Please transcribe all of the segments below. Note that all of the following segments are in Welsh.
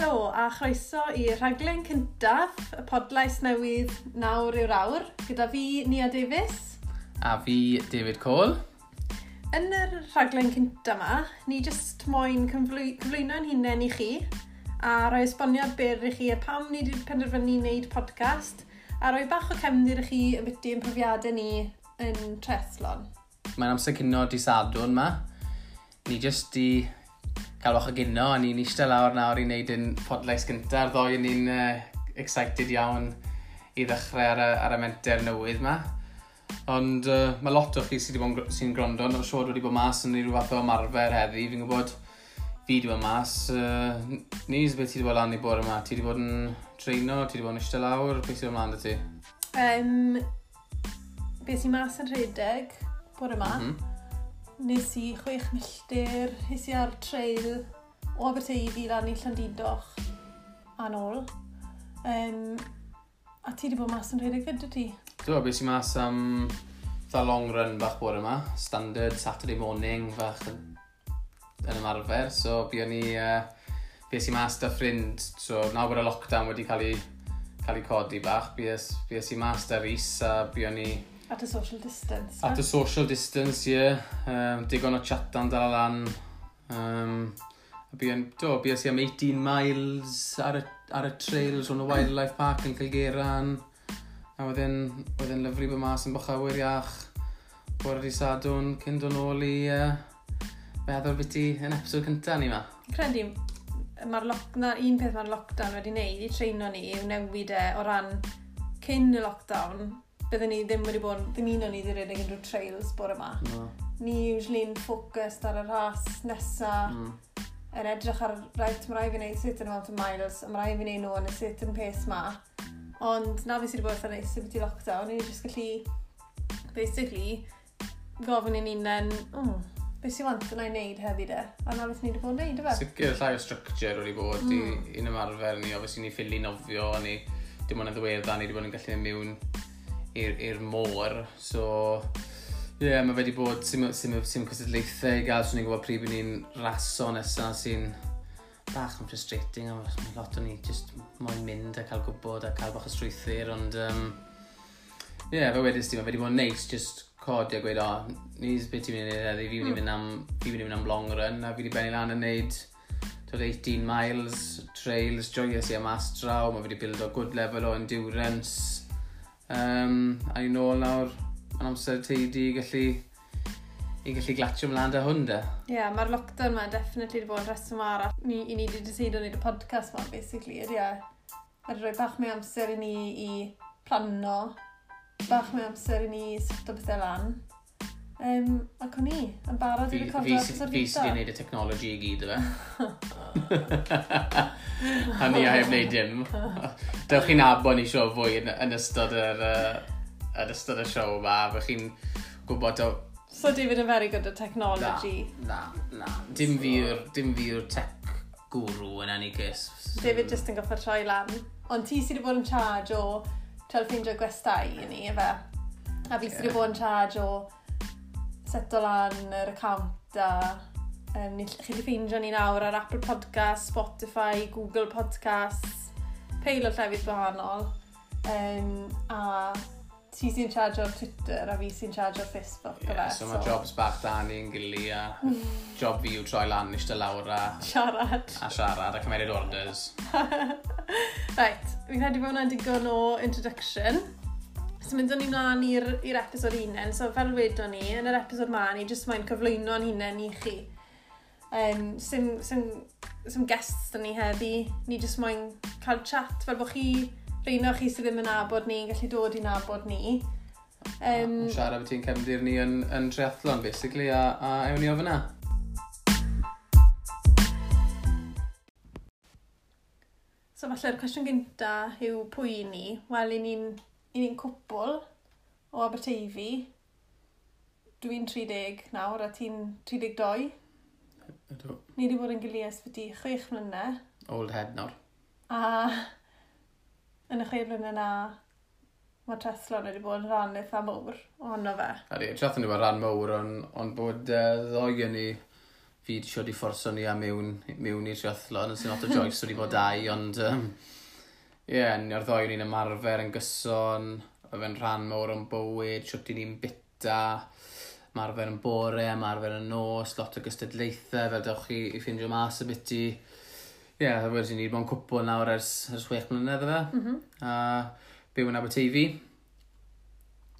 Helo a chroeso i'r rhaglen cyntaf, y podlais newydd Nawr yw'r Awr, gyda fi, Nia Davies. A fi, David Cole. Yn yr rhaglen cyntaf yma, ni jyst moyn cyflwyno'n hunain i chi a rhoi esboniad byr i chi ar pam ni wedi penderfynu wneud podcast a rhoi bach o cefndir i chi ambiti ein profiadau ni yn triathlon. Mae'n amser cinio di Sadwrn yma. Ni jyst di cael bach o gino, a ni'n eistedd lawr nawr i wneud yn podlais gyntaf. Ddoe ni'n excited iawn i ddechrau ar y menter newydd yma. Ond mae lot o chi sydd wedi bod sy'n gwrando, yn siŵr wedi bod mas yn rhyw fath o ymarfer heddi. Fi'n gwybod fi wedi bod mas. Nis, beth ti wedi bod lan i bore yma? Ti wedi bod yn treino? Ti wedi bod yn eistedd lawr? Beth sydd ymlaen â ti? Beth sy'n mas yn rhedeg bore yma. Nes i 6 milltir, nes i ar trail o Aberteifi lan i Llandudoch a nôl. A ti wedi bod mas yn rhedeg fyd, ti? Do, beth sy'n mas am fatha long run bach bore yma. Standard Saturday morning fach yn ymarfer. So, buon ni, bues i mas da ffrind. So, nawr bod y lockdown wedi cael ei codi bach, bues i mas da Rhys a buon ni. At a social distance. At a social distance, ie. Yeah. Digon o chatan dal lan. Bues i am 18 miles ar y trails o'n y Wildlife Park yn Cilgeran. A wedyn lyfru bod mas yn Bochawyr Iach bore di Sadwrn cyn dod nôl i meddwl beth i yn episod cyntaf ni ma. Credu, un peth mae'r lockdown wedi wneud i treino ni yw newid e o ran cyn y lockdown. Byddwn ni ddim wedi bod, ddim un o'n ni wedi rhedeg unrhyw trails bore yma. No. Ni usually'n focused ar y ras nesa, yn edrych ar, right, mae rhaid fi wneud certain amount of miles, a mae rhaid fi wneud nhw yn y certain pace ma. Ond na fi sydd wedi bod eitha neis i lockdown, ni jyst gallu, basically, gofyn i'n hunain, beth sy'n want yna i wneud hefyd e? A na beth ni wedi bod yn wneud, efe? Sicr llai o structure wedi bod i'n ymarfer ni, obviously ni ffili nofio, ni dim ond yn ddiweddar, ni wedi bod yn gallu mynd mewn i'r môr, so ie, yeah, mae fe wedi bod sim cystadlaethau i gael, so ni'n gwybod pryd bydd ni'n raso nesaf sy'n bach yn frustrating, a mae lot o ni just moyn mynd a cael gwybod a cael bach o strwythur, ond ie, yeah, fe wedys ti, mae fe wedi bod yn neis just codi a gweud, o, nis beth ti'n mynd i wneud heddi, fi mynd i mynd am long run, a fi wedi benni lan yn neud 18 miles, trails, joyous i am mas draw, mae fe wedi build o good level o endurance. A ni'n nôl nawr yn amser teidi i gallu glatio ymlaen da hwn de. Ie, yeah, mae'r lockdown ma definitely wedi bod yn rheswm arall. I ni wedi decido wneud y podcast ma, basically, ydy e. Mae wedi rhoi bach mwy amser i ni i plano, bach mwy amser i ni seto bethau lan. Ac o'n i yn barod i recordo episod gyntaf. Fi sydd wedi gwneud y technology i gyd, efe. A ni a heb wneud dim. Dewch chi'n nabod ni sio fwy yn ystod y siow yma. Fy chi'n gwybod o. So David yn very good at technology. Na. Dim fi yw'r tech guru yn any case. David just yn goffa troi lan. Ond ti sydd wedi bod yn charge o trial ffeindio gwestai i ni, efe? A fi sydd wedi bod yn charge o seto lan yr account a chi wedi ffeindio ni nawr ar Apple Podcasts, Spotify, Google Podcasts, peil o llefydd gwahanol. A ti sy'n charge o'r Twitter a fi sy'n charge o'r Facebook. Yeah, so mae jobs bach da ni'n gili a job fi yw troi lan eistedd lawr a siarad. A siarad a cymeryd orders. Right, fi'n credu bod hwnna'n digon o introduction. So mynd o'n i mlaen i'r episod unen, so fel wedon ni, yn yr episod ma, ni jyst moyn cyflwyno'n hunain i chi. Sim guests da ni heddi, ni jyst moyn cael chat, fel bod chi, rheina chi sydd ddim yn nabod ni, yn gallu dod i nabod ni. Siarad beth ti'n cefndir ni yn triathlon, basically, a ewn ni o fyna. So falle'r cwestiwn gynta yw pwy i ni. Wel, i ni'n cwpl o Aberteifi. Dwi'n 30 nawr a ti'n 32. Ydw. Ni wedi bod yn gilydd ers byti 6 mlynedd. Old head nawr. A yn y 6 mlynedd na, mae triathlon wedi bod yn rhan eitha mowr ohono fe. Ydy, triathlon wedi bod yn rhan mowr, ond bod ddoi yn ni Fi wedi siarad i fforso ni a mewn i'r triathlon, yn sy'n lot o joys wedi bod dau, ond ie, yeah, ni'r ddoi ni'n ymarfer yn gyson, oedd fe'n rhan mawr o'n bywyd, siwt i ni'n bita, ymarfer yn bore, ymarfer yn nos, lot o gystadlaethau, fel dewch chi i ffindio mas y biti. Ie, yeah, wedyn ni wedi bod yn cwpl nawr ers 6 mlynedd efe. A byw yn Aberteifi.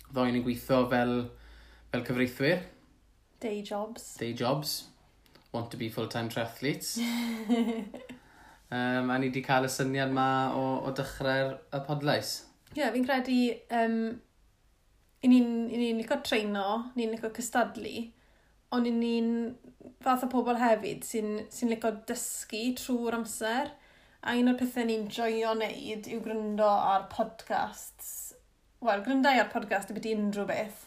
Ddoi ni'n gweithio fel cyfreithwyr. Day jobs. Day jobs. Want to be full-time triathletes. A ni wedi cael y syniad ma o dechrau'r y podlais. Ie, yeah, fi'n credu i ni'n ni licio treino, ni'n licio cystadlu, ond i ni'n fath o pobl hefyd sy'n licio dysgu trwy'r amser. A un o'r pethau ni'n joio wneud yw gryndo ar podcasts. Wel, gryndo ar podcast y beth unrhyw beth,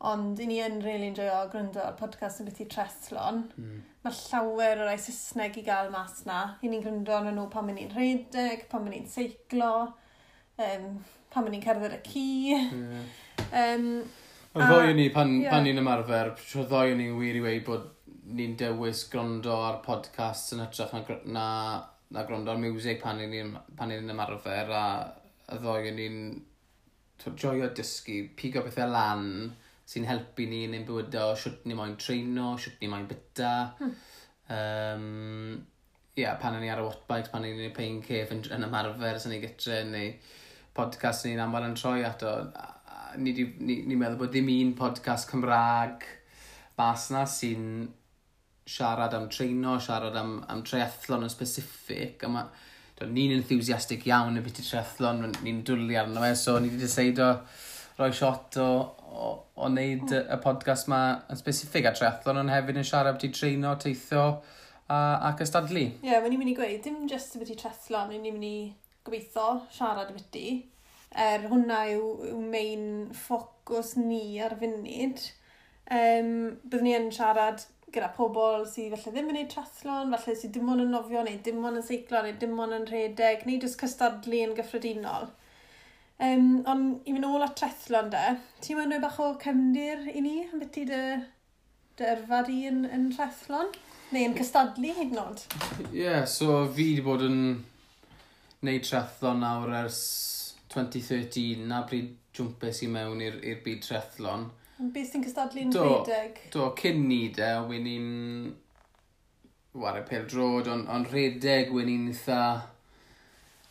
ond i ni yn really enjoyo gryndo ar podcast yn beth i triathlon. Mae llawer o rai Saesneg i gael mas na. I ni'n gryndo arnyn nhw pan ni'n rhedeg, pan ni'n seiclo, pan ni'n cerdded y ci. Y ddoi ni, pan ni'n ymarfer, y ddoi ni'n wir i weud bod ni'n dewis gwrando ar podcasts yn hytrach na gwrando ar music pan ni'n ymarfer, a y ddoi ni'n joio dysgu, pigo pethau lan sy'n helpu ni yn ein bywydau, siwt ni moyn treino, siwt ni moyn bita. Yeah, pan ni ar y wattbikes, pan ni'n y pain cave yn ymarfer, sy'n ni gytre, neu podcast ni'n aml yn troi ato. Ni meddwl bod ddim un podcast Cymraeg mas na sy'n siarad am treino, siarad am triathlon yn specific. A ma, ni'n enthusiastic iawn y beth i triathlon, ni'n dwlu arno fe, so ni wedi deceido rhoi shot o wneud y podcast ma yn specific ar triathlon, ond hefyd yn siarad beth i treino, teithio a cystadlu. Ie, yeah, ni'n mynd i gweud, dim just beth i triathlon, ni'n mynd i gobeithio siarad beth i. Er hwnna yw main ffocws ni ar funud. Byddwn ni yn siarad gyda pobl sydd falle ddim yn gwneud triathlon, falle sydd dim ond yn nofio, neu dim ond yn seiclo, neu dim ond yn rhedeg, neu jyst cystadlu yn gyffredinol. Ond i fynd ôl at triathlon de, ti'n mynd rhoi bach o cefndir i ni am beth i dy yrfa di yn triathlon? Neu yn cystadlu hyd yn oed? Ie, yeah, so fi wedi bod yn neud triathlon nawr ers 2013, na pryd jwmpes i mewn i'r byd triathlon. Beth ti'n cystadlu'n rhedeg? Do, cyn ni de, wen i'n ware pêl-droed, ond rhedeg wen i'n eitha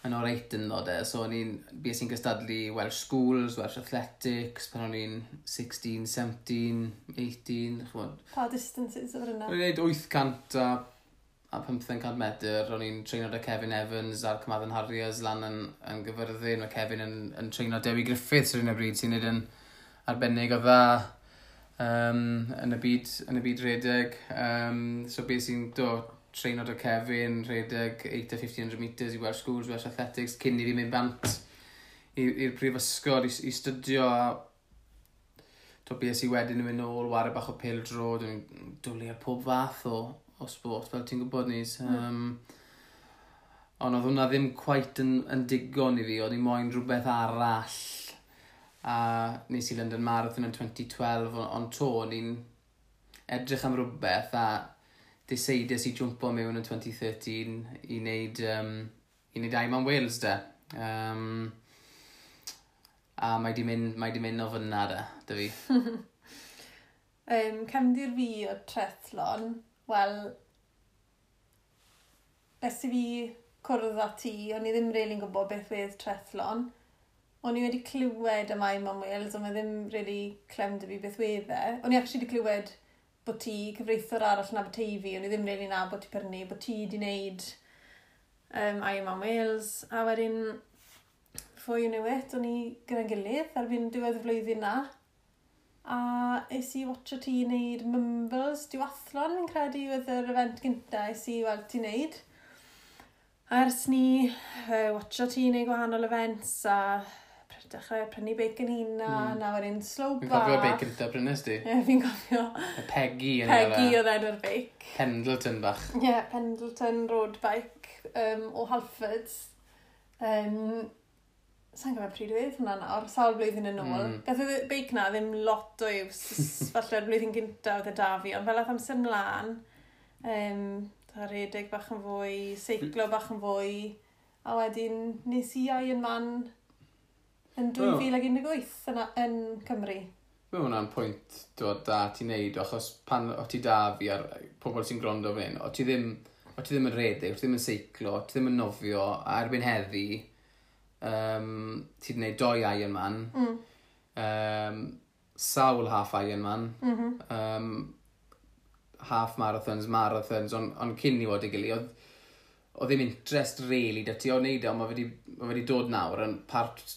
yn oreit ynddo de. So o'n i'n, bues i'n cystadlu Welsh Schools, Welsh Athletics, pan o'n i'n 16, 17, 18, ch'mod. Pa distances oedd hynna? O'n i'n neud 800 a 1500 medr. O'n i'n treino 'da Kevin Evans a'r Carmarthen Harriers lan yn Gyfyrddin. Mae Kevin yn treino Dewi Griffiths ar un o bryd sy'n neud yn arbennig o dda yn y byd rhedeg. So bues i'n do, treino 'da Kevin, rhedeg 8 a 1500 metres i Welsh Schools, Welsh Athletics, cyn i fi mynd bant i'r prifysgol i studio, a to bues i wedyn yn mynd nôl, ware bach o pêl-droed, yn dwlu ar pob fath o sport, fel ti'n gwybod ni. Ond oedd hwnna ddim quite yn digon i fi, oedd i moyn rhywbeth arall. A nes i London Marathon yn 2012, ond to, o'n i'n edrych am rhywbeth a deceides i jwmpo mewn yn 2013 i wneud Ironman Wales de. A mae di mynd o fyna de, dy fi. Cefndir fi o triathlon, wel, ers i fi cwrdd â ti, o'n i ddim really'n gwybod beth oedd triathlon. O'n i wedi clywed am Ironman Wales, ond mae ddim really clem 'da fi beth wedd e. O'n i actually wedi clywed bod ti, cyfreithiwr arall yn Aberteifi, o'n i ddim really nabod ti prynu, bod ti wedi wneud Ironman Wales, a wedyn, before you knew it, o'n i gyda'n gilydd erbyn diwedd y flwyddyn na. A es i watcho ti wneud Mumbles Duathlon, fi'n credu, oedd yr event gynta es i weld ti wneud. A ers ni watcho ti wneud gwahanol events a dechrau prynu beic yn hun a na wedyn slow Fi'n cofio beic gyntaf prynes di. Ie, yeah, fi'n cofio. Y Peggy yn Peggy oedd enw'r beic. Pendleton bach. Ie, yeah, Pendleton road bike o Halfords. Sa'n cofio pryd oedd hwnna nawr, sawl blwyddyn yn ôl. Gath y beic na ddim lot o use, falle'r blwyddyn gyntaf oedd e da fi, ond fel ath amser mlaen, Rhedeg bach yn fwy, seiclo bach yn fwy, a wedyn nes i Ironman yn 2018 yn Cymru. Mae hwnna'n pwynt dod da ti'n neud, achos pan o ti da fi ar pobl sy'n gwrando fan hyn, o ti ddim yn rhedeg, o ti ddim yn seiclo, o ti ddim yn nofio, a erbyn heddi, ti wedi gwneud 2 Ironman, sawl half Ironman, half marathons, marathons, ond cyn i fod i gilydd, oedd ddim interest really da ti o wneud e, ond mae wedi dod nawr yn part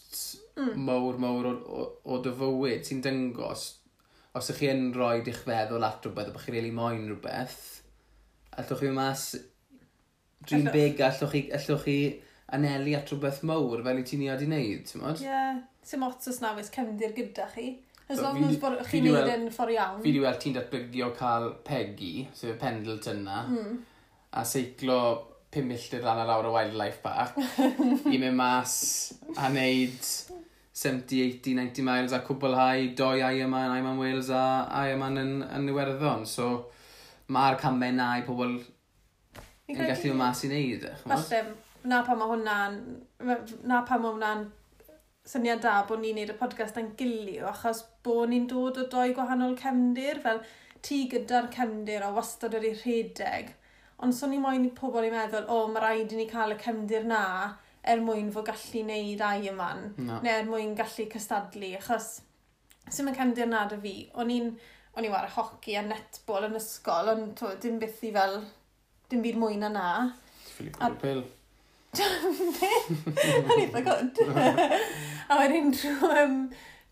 mawr o dy fywyd sy'n dyngos, os ych chi yn rhoi eich feddwl at rhywbeth, a bod chi'n really moyn rhywbeth, allwch chi mas dream big, allwch chi anelu at rhywbeth mawr fel i ti'n ni wedi wneud, ti'n modd? Ie, sim ots os na oes cefndir gyda chi. As long as bod chi'n neud yn ffordd iawn. Fi wedi weld ti'n datblygu o cael Peggy, sef y Pendleton na, a seiclo 5 milltir lan ar awr o Wildlife Park, i mynd mas a wneud 70, 80, 90 miles a cwblhau 2 Ironman, Ironman Wales a Ironman yn Iwerddon. So mae'r camau na i pobl yn gallu mynd mas i wneud. Falle, na pa mae hwnna'n syniad da bod ni'n neud y podcast yn gilio, achos bod ni'n dod o 2 gwahanol cefndir, fel ti gyda'r cefndir o wastad wedi rhedeg. Ond so ni moyn i pobl i meddwl, o, mae rhaid i ni cael y cefndir na er mwyn fod gallu neud Ironman, neu er mwyn gallu cystadlu, achos sy'n y cefndir na dy fi. O'n i'n ware hoci a netball yn ysgol, ond to, dim byth i fel, dim byd mwy na na. Ti'n ffili bwrw pil. O'n eitha good. A wedyn trwy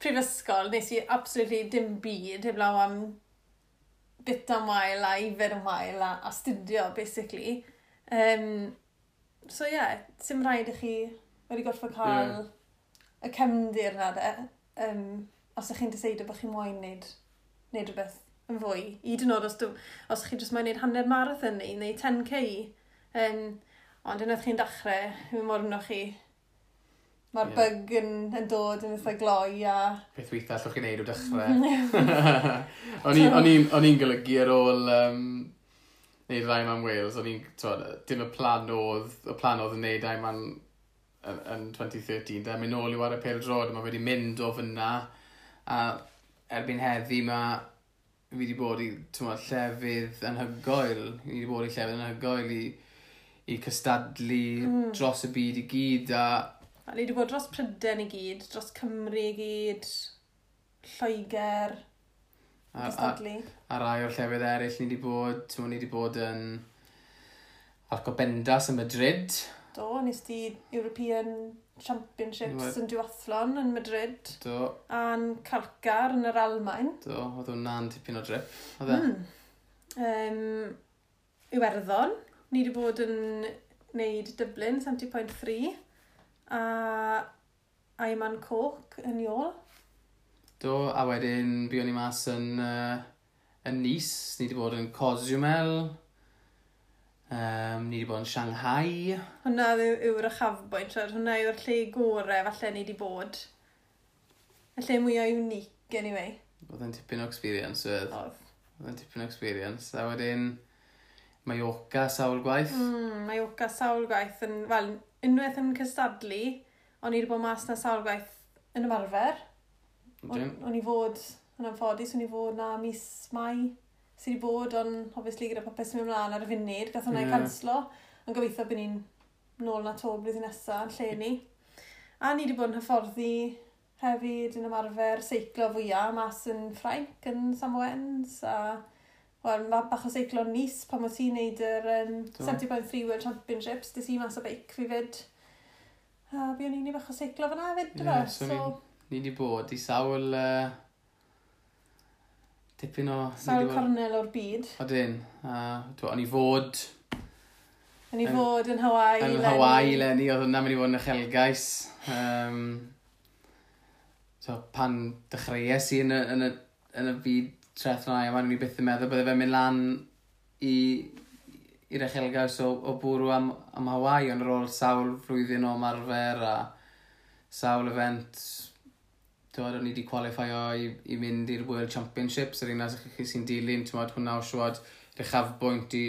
prifysgol, nes i absolutely dim byd heblaw am bit am wael a ifed am wael a astudio, basically. So ie, yeah, sim rhaid i chi wedi gorfod cael y cefndir na de. Os ych chi'n deseidio bod chi'n moyn neud rhywbeth yn fwy. Hyd yn oed os chi jyst moyn neud hanner marathon neu 10k. Ond unwaith chi'n dechrau, mi mor yno chi. Mae'r bug yn dod yn eitha gloi a... Peth weitha allwch chi wneud o dechrau. O'n i'n golygu ar ôl wneud Ironman Wales, o'n i'n, dim y plan oedd, y plan oedd yn wneud Ironman yn 2013, da mynd nôl i ware pêl-droed, mae wedi mynd o fyna, a erbyn heddi mae fi wedi bod i llefydd anhygoel, fi wedi bod i llefydd anhygoel i cystadlu dros y byd i gyd, a ni wedi bod dros Prydain i gyd, dros Cymru i gyd, Lloegr, cystadlu. A rai o'r llefydd eraill ni wedi bod, ni wedi bod yn Alcobendas yn Madrid. Do, nes di European Championships yn duathlon yn Madrid. Do. A'n Calcar yn yr Almaen. Do, oedd hwnna'n tipyn o drip, oedd e? Iwerddon, ni wedi bod yn wneud Dublin 70.3. A Ironman Cork yn Iôl. Do, a wedyn buon ni mas yn Nice, ni wedi bod yn Cozumel, ni wedi bod yn Shanghai. Hwna yw'r uchafbwynt, hwnna yw'r lle gore falle ni wedi bod. Y lle mwyaf unique, anyway. Oedd yn tipyn o experience, oedd. Oedd yn tipyn o experience. A wedyn Mallorca sawl gwaith. Mallorca sawl gwaith yn, wel, unwaith yn cystadlu, o'n i wedi bod mas na sawl gwaith yn ymarfer. O'n i fod, yn anffodus, o'n i fod na mis Mai sydd wedi bod, ond obviously gyda popeth sy'n mynd ymlaen ar y funud, gath hwnna i canslo. Ond gobeithio bod ni'n nôl na to blwyddyn nesaf yn lle ni. A ni wedi bod yn hyfforddi hefyd yn ymarfer seiclo fwyaf mas yn Ffrainc, yn Samoens, a wel, mae bach o seiclo Nice pan oedd ti'n neud yr 70.3 World Championships, des i mas o beic fi fyd. A buon ni'n neud bach o seiclo fyna hefyd, yeah, so ni wedi bod i sawl tipyn o... Sawl cornel o'r byd. Odyn. O'n i fod... O'n i fod yn Hawaii. Yn Hawaii, Lenny. Oedd hwnna'n mynd i fod yn uchelgais. So, pan dechreuais i yn y byd triathlon Ironman, o'n i byth yn meddwl bydde fe'n mynd lan i'r uchelgais o bwrw am Hawaii, ond ar ôl sawl flwyddyn o ymarfer a sawl event, o'n i wedi qualifio i mynd i'r World Championships, yr un chi sy'n dilyn, ti'n hwnna o siwad uchafbwynt i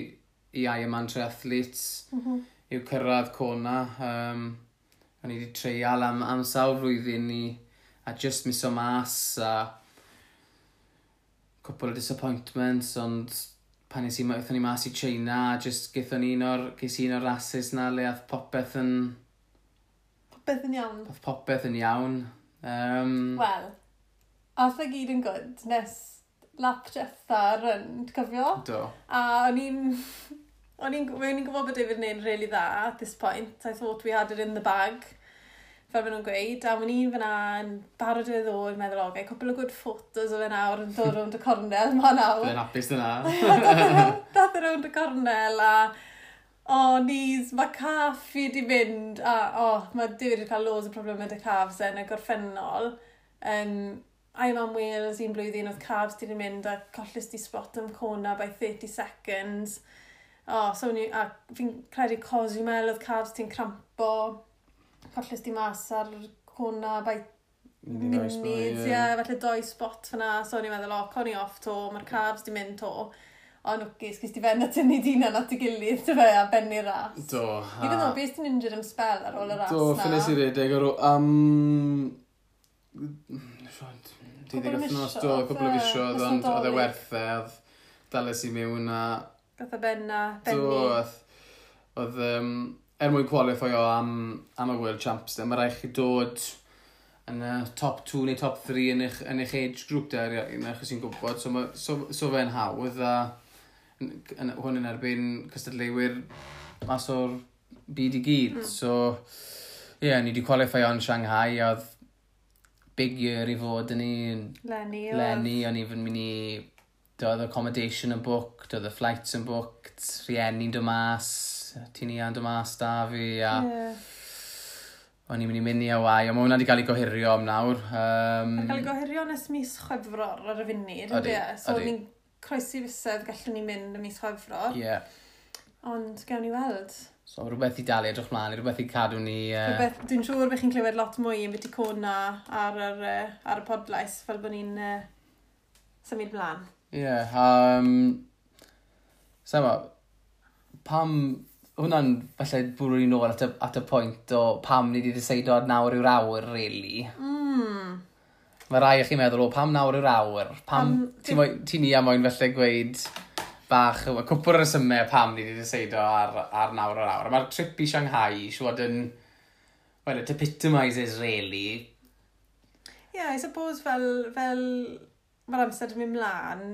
Ironman triathletes yw cyrraedd Kona. O'n i wedi treial am sawl flwyddyn ni a just miso mas a cwpl o disappointments, ond pan nes i, aethon ni mas i China, a just ges i un o'r rases na le ath popeth yn, Popeth yn iawn. ath popeth yn iawn. Wel, ath e gyd yn good nes lap diwetha run, ti'n cofio? Do. A o'n i'n gwybod bod David yn neud really dda at this point. I thought we had it in the bag, fel maen nhw'n gweud. A o'n i'n fyna yn barod i ddod, yn meddwl, "Okay, couple of good photos o fe nawr yn dod rownd y cornel ma nawr." Byddai'n hapus dyna. Dath e rownd y cornel a oh, knees, mae calf fi di mynd a oh, mae David wedi cael loads o problemau 'da calves e yn y gorffennol. Ironman Wales un blwyddyn oedd calves ti di mynd a colles di spot am Kona by 30 seconds. Oh, so ni, a fi'n credu Cozumel oedd calves ti'n crampo, colles di mas ar Kona by munud, ie, yeah, falle doi spot fyna, so o'n i'n meddwl, "O, con i off to, mae'r calves di mynd to." Ond lwcus, ges ti ben a tynnu dyn at ei gilydd, ty fe, a benni'r ras. Do. Even though, beth ti'n injured am spell ar ôl y ras Do, na. ffines i redeg ar ôl am Cwpl o 12 wythnos, do, misoedd, cwpl o ie, fisoedd, nos ond oedd e Nadolig. werth e, oedd dales i mewn a Gath e ben a do, benni. oedd, er mwyn qualifio am y World Champs, mae rhaid chi dod yn y top 2 neu top 3 yn eich age group de, un o'ch sy'n gwybod, so fe'n hawdd a hwn yn erbyn cystadleuwyr mas o'r byd i gyd. So, ie, yeah, ni wedi qualifio yn Shanghai, a oedd big year i fod yn ni. Lenny. Oedd. Lenny, o'n i fy mynd i... Doedd accommodation yn booked, doedd y flights yn booked, rhieni'n dod mas, ti'n i'n dod mas da fi, a o'n i'n mynd i mynd i Hawaii, ond mae hwnna wedi cael ei gohirio am nawr. Mae'n cael ei gohirio nes mis Chwefror ar y funud, Odi, ydy e? So odi. ni'n croesi fysedd gallwn ni mynd ym mis Chwefror. Ie. Ond gawn ni weld. So rhywbeth i dalu edrych mlaen, rhywbeth i cadw ni. Rhywbeth, dwi'n siŵr bych chi'n clywed lot mwy yn byti Kona ar y podlais, fel bod ni'n symud mlaen. Ie, yeah, Sama, pam... Hwnna'n falle bwrw ni nôl at y pwynt o pam ni wedi decido ar nawr yw'r awr, really. Mae rai o chi'n meddwl, "O, pam nawr yw'r awr?" Pam, ti ni a moyn felly gweud bach, y cwpl o'r resymau pam ni wedi decido ar nawr yw'r awr. Mae'r trip i Shanghai, siwod yn, well, it epitomises, really. Yeah, I suppose fel mae'r amser yn mynd mlaen,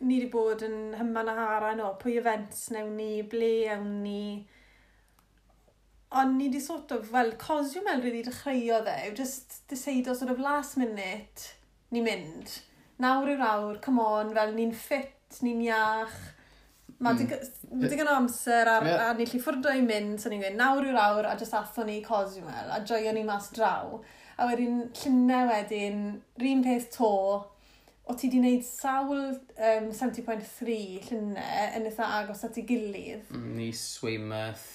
ni wedi bod yn hyman a haran o pwy events newn ni, ble ewn ni. Ond ni wedi sort of, wel, Cozumel really dechreuodd e, yw just decido sort of last minute, ni mynd. Nawr yw'r awr, come on, fel ni'n ffit, ni'n iach. Mae digon o amser a ni lli ffwrdo i mynd, so ni'n gweud, nawr yw'r awr, a just athon ni i Cozumel, a joio ni mas draw. A wedyn, llynau wedyn, run peth to, o ti di wneud sawl 70.3 llynau yn eitha agos at ei gilydd. Nice, Weymouth.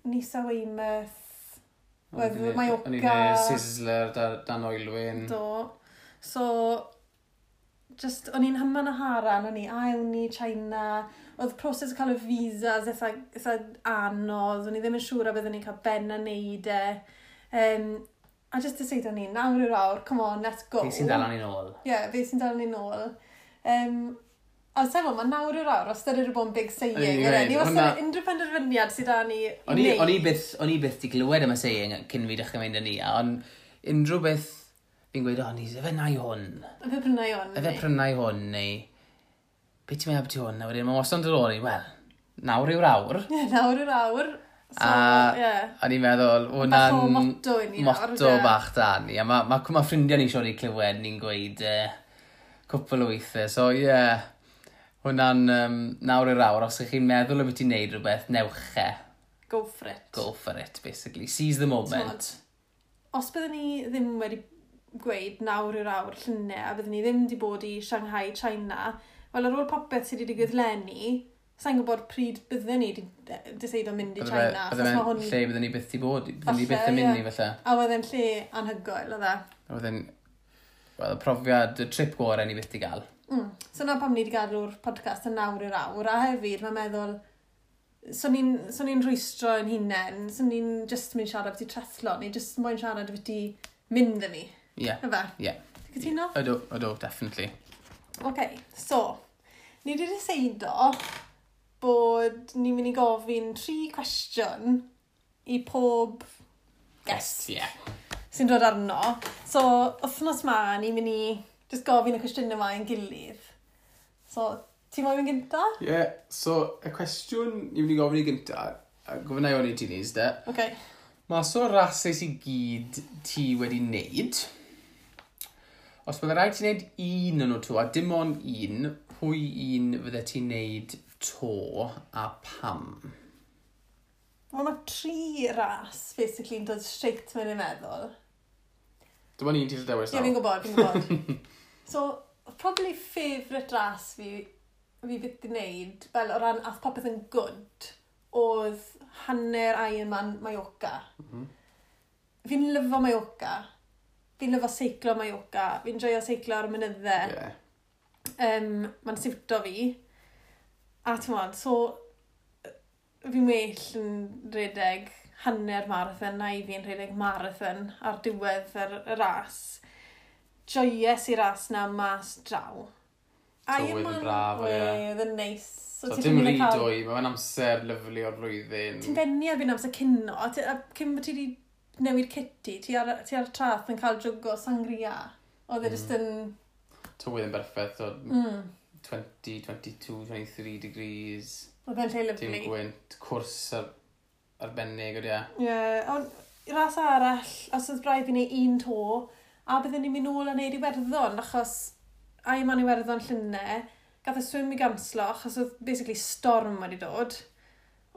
Nice a Weymouth. O'n i Mallorca. O'n i'n neud Sizzler dan Oelwyn. Do. So, just, o'n i'n hyman a haran, o'n i, a ewn ni China. Oedd proses o cael y visas eitha anodd, o'n i ddim yn siŵr a byddwn ni'n cael ben a neud e. A just decide o'n i, nawr yw'r awr, come on, let's go. Fi sy'n dal ni nôl. Ie, yeah, fe sy'n dal ni nôl. A sefo, mae nawr yw'r awr, os dyna bod yn big saying. O'n i'n yfe? gweud, Ni wastad unrhyw penderfyniad sydd da ni i wneud. O'n i byth di glywed am y saying cyn fi dechrau mynd yn ni, ond unrhyw beth fi'n gweud, "O, ni, efe nai hwn, Efe prynau hwn. efe prynau hwn," neu "Beth ti'n meddwl beth hwn?" A wedyn mae wastad yn dod ôl i, "Wel, nawr yw'r awr." Ie, nawr yw'r awr. So, A ie. o'n i'n meddwl, Bach o hwnna'n motto i ni nawr, motto ynde? bach da ni. A mae ma ffrindiau ni siŵr i clywed ni'n gweud cwpl o weithiau. So, ie, yeah, hwnna'n nawr yw'r awr. Os ych chi'n meddwl o beth i'n neud rhywbeth, newch e. Go for it. Go for it, basically. Seize the moment. T'mod, os byddwn ni ddim wedi gweud nawr yw'r awr llynau a byddwn ni ddim wedi bod i Shanghai, China, wel ar ôl popeth sydd wedi digwydd leni, sa'n gwybod pryd byddwn ni wedi decido mynd i Bydde China. bydde Achos fe'n ma' hwn... lle byddwn ni byth i bod. Byddwn ni Falle, byth yn mynd ie. i falle. A oedd e'n lle anhygoel, oedd e. Oedd e'n, wel, y profiad, y trip gorau ni byth i gael. So na pam ni wedi gadw'r podcast yn nawr i'r awr, a hefyd mae'n meddwl, so ni'n so ni rhwystro yn hunain, so ni'n just mynd siarad beth i triathlon, ni just moyn siarad beth i mynd â ni. Ie. Yeah. Ife? Ie. Yeah. Ti'n cytuno? Ydw, ydw, definitely. OK, so, ni wedi deseido bod ni'n mynd i gofyn tri cwestiwn i pob guest Ie. Yeah. sy'n dod arno. So, wythnos ma, ni'n mynd i just gofyn y cwestiynau yma i'n gilydd. So, ti'n moyn mynd gynta? Ie, yeah, so y cwestiwn ni'n mynd i gofyn i gynta, a gofyn i hwn i ti Lis, de. OK. Mas o'r rasys i gyd ti wedi wneud, os bydde rhaid ti wneud un o'n nhw to, a dim ond un, pwy un fydde ti'n wneud to a pam? Wel, mae tri ras, basically, yn dod straight mewn i'n meddwl. Dim ond un ti'n dewis Ie, fi'n gwybod, fi'n gwybod. So, probably favourite ras fi byth di wneud, fel o ran ath popeth yn good, oedd hanner Ironman Mallorca. Fi'n lyfo Mallorca. Fi'n lyfo seiclo Mallorca. Fi'n joio seiclo ar y mynyddau. Yeah. Mae'n siwto fi. A ti'n modd, so fi'n well yn rhedeg hanner marathon na i fi'n rhedeg marathon ar diwedd y ras. Joies i ras na mas draw. Tywydd yn braf, ie. Oedd yn neis. So, ti dim ddim yn rhy cael- dwy, mae'n amser lyfli o'r flwyddyn. Ti'n benni erbyn amser cino, a cyn bod ti wedi newid kitty, ti ar y traeth yn cael jwg o sangria. Oedd e jyst yn... Tywydd yn berffaith, so 20, 22, 23 degrees, Oedd e'n lle dim lyfli. gwynt, cwrs arbennig, oedd e. Ie, yeah, ond ras arall, os oedd braidd i wneud un to, a byddwn ni'n mynd nôl a wneud Iwerddon, achos Ironman Iwerddon llynedd, gath y swim i ganslo, achos oedd basically storm wedi dod.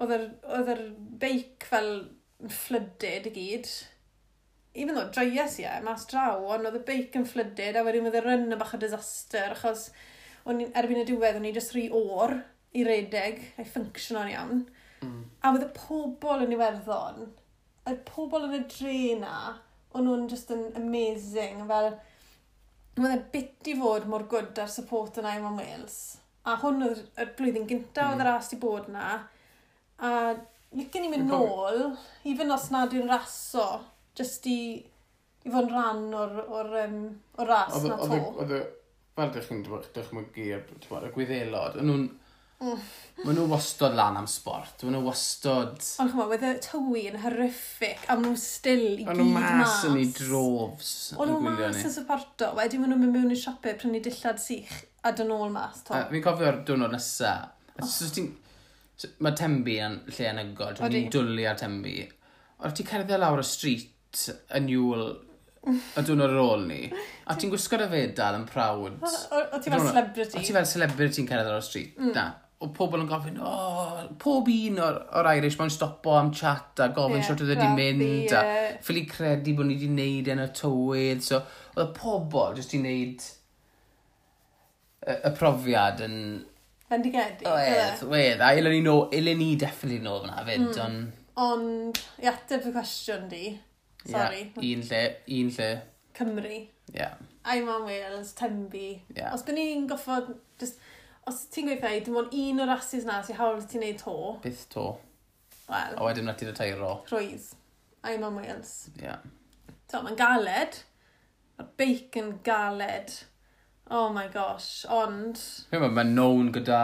Oedd yr beic fel yn flooded i gyd. Even though joies i e, mas draw, ond oedd y beic yn flooded, a wedyn oedd y run yn bach o disaster, achos o'n erbyn y diwedd o'n i jyst rhy oer i redeg, a'i functiono'n iawn. A oedd y pobl yn Iwerddon, y pobl yn y dre na, o'n nhw'n just yn amazing, fel, oedd e bit i fod mor good ar support yn Ironman Wales. A hwn oedd y blwyddyn gyntaf oedd y ras i bod na. A licen i mynd Fi'n cofio- nôl, even os nad yw'n raso, just i fod yn rhan o'r ras na to. Oedd y, fel dych chi'n dychmygu, y Gwyddelod, o'n nhw'n, maen nhw wastod lan am sport, maen nhw wastad, Ond ch'mo, oedd y tywi yn horrific, a maen nhw still i o'n gyd nhw mas mas. yn ei droves O'n yn nhw gwylio mas ni. yn supporto, wedyn maen nhw'n mynd mewn i siopau prynu dillad sych a dyn ôl mas, to. A fi'n cofio'r diwrnod nesa. A so ti'n... So, mae Tenby yn lle anhygoel, Odi. ti'n dwlu ar Tenby. Ond ti'n cerdded lawr y street yn Iwl y diwrnod ar ôl ni, a ti'n gwisgo dy fedal yn proud. O ti fel celebrity. O ti fel celebrity yn cerdded lawr y street, na. O pobl yn gofyn, o, pob un o'r Irish mae'n stopo am chat a gofyn Ie, shwt oedd wedi craffu, mynd a ie. ffili credu bod ni wedi neud e yn y tywydd. So, oedd y pobl jyst i wneud y profiad yn... Bendigedig. Wedd, wedd. A ilen ni, no, ilen ni definitely nôl fyna fyd, ond... Ond, i ateb y cwestiwn di, sorry, Ie, un lle, un lle. Cymru. Ie. Ironman Wales, Tenby. Ie. Os byd ni'n goffod, just, os ti'n gweithio, dim ond un o'r rases na sy'n hawl i ti'n neud to, Byth to. wel, A wedyn na ti'n retireio. rhwydd. Ironman Wales. Ie. So, mae'n galed. Mae'r beic yn galed. Oh my gosh, ond... Mae'n known gyda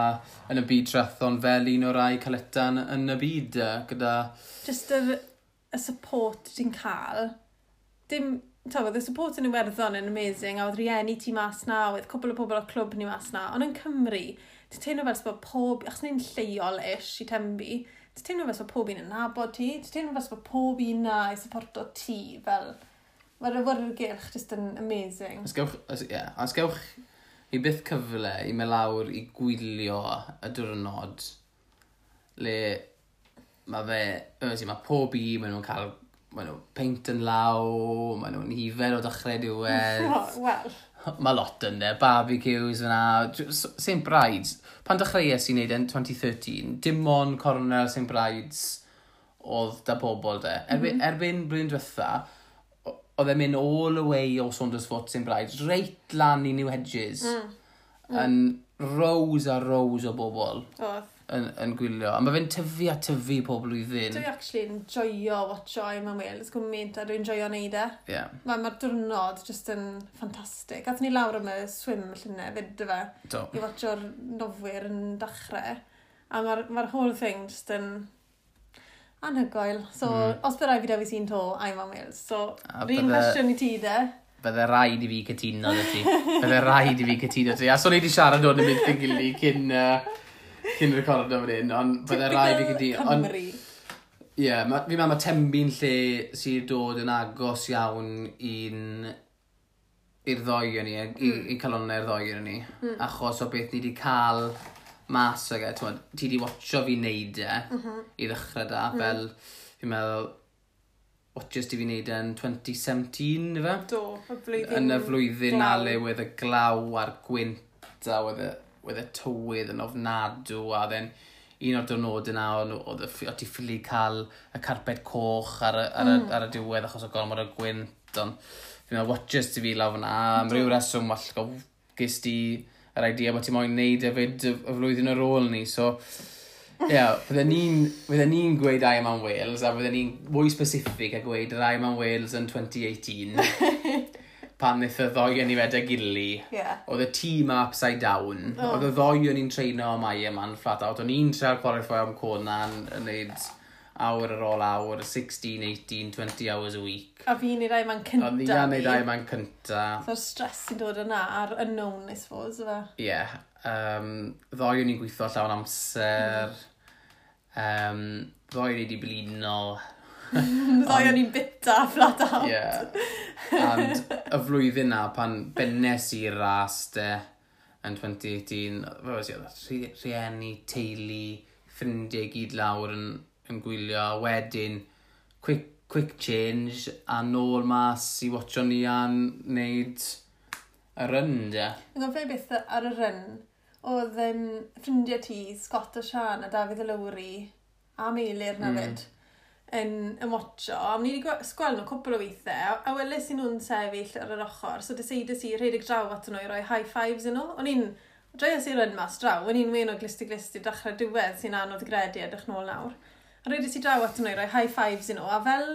yn y byd triathlon fel un o'r rai caleta yn y byd, gyda... Just y support ti'n cael. Dim, ta, oedd y support yn Iwerddon yn amazing, a oedd rieni ti mas na, oedd cwpl o pobl o'r clwb ni mas na, ond yn Cymru, ti'n teimlo fel bod pob, achos ni'n lleol-ish i Tenby, ti'n teimlo fel bod pob un yn nabod ti, ti'n teimlo fel bod pob un na i supporto ti, fel, mae'r awyrgylch just yn amazing. Os gewch, os, yeah, os gewch i byth cyfle i mynd lawr i gwylio y diwrnod le mae fe, obviously, mae pob un, maen nhw'n cael, maen nhw'n peint yn law, maen nhw'n hifer o dechrau diwedd. Wel, Mae lot yn e, barbecues fyna, St Brides. Pan dechreuais i wneud yn 2013, dim ond cornel St Brides oedd da pobl de. Erbyn blwyddyn diwetha, oedd e'n mynd all the way o Saundersfoot St Brides, reit lan i New Hedges. Yn rows a rows o bobl. Oedd. Yn gwylio. A mae fe'n tyfu a tyfu pob blwyddyn. Dwi actually yn joio watcho Ironman Wales gymaint a dwi'n joio neud e. Yeah. Mae'r diwrnod just yn ffantastig. Athon ni lawr am y swim llynedd fyd, do fe? Do. I watcho'r nofwyr yn dechrau. A mae'r whole thing just yn anhygoel. So, os bydd rhaid fi dewis un to, Ironman Wales. So, A yr un cwestiwn i ti de. Bydde rhaid i fi cytuno 'da ti. Bydde rhaid i fi cytuno 'da ti. A so ni wedi siarad o'n ymwneud yn gilydd cyn recordo fan hyn, ond bydde rhaid i fi cytuno. Ond Cymru. ie, yeah, fi'n meddwl mae Tenby'n lle sydd dod yn agos iawn i'r ddoi yn ni, i calonnau'r ddoi yn ni. Achos o beth ni wedi cael mas ag e, t'mod, ti wedi watcho fi neud e i ddechrau da, fel fi'n meddwl, watches ti fi neud e yn 2017, ife? Do, y flwyddyn. Yn y flwyddyn na glaw. le wedd y glaw a'r gwynt a wedd y tywydd yn ofnadw a then un o'r diwrnodau yna oedd ti ffili cael y carpet coch ar y diwedd achos o gormod o gwynt, ond fi'n meddwl watches ti fi lawr fyna am ryw reswm wallgo ges ti yr idea bod ti moyn neud hefyd y flwyddyn ar ôl ni, so ie, yeah, fydden ni'n gweud Ironman Wales, a fydden ni'n mwy specific a gweud yr Ironman Wales yn 2018, pan wnaeth y ddoi yn i fed â gili, oedd y tîm upside down, oedd y ddoi o'n i'n treino am Ironman flat out, o'n i'n treial qualify am Kona yn neud awr ar ôl awr, 16, 18, 20 hours a week. A fi'n neud Ironman cynta. Oedd ni'n neud Ironman cynta. So'r stress sy'n dod yna a'r unknown, I suppose, ife? Ie. Yeah. Ddoi o'n i'n gweithio llawn amser. Ddoi o'n i wedi blino. Ddoi o'n i'n bita flat out. Ie. Yeah. And y flwyddyn na, pan bennes i'r ras de, yn 2018, fe was i, oedd rhieni, teulu, ffrindiau gyd lawr yn gwylio, a wedyn, quick change, a nôl mas i watcho ni a'n neud y run, de. Yn gofio beth ar y run, oedd ffrindiau ti, Scott a Sian a Dafydd y Lowry, a Meilir na fyd, yn watcho. A ni wedi gweld nhw cwpl o weithiau, a weles i nhw'n sefyll ar yr ochr, so deseidais i rhedeg draw at nhw i roi high fives i nhw. O'n i'n joies i run mas draw, o'n i'n wên o glust i glust i dechrau diwedd sy'n anodd gredu edrych nôl nawr. A rhedes i draw at nhw i roi high fives i nhw, a fel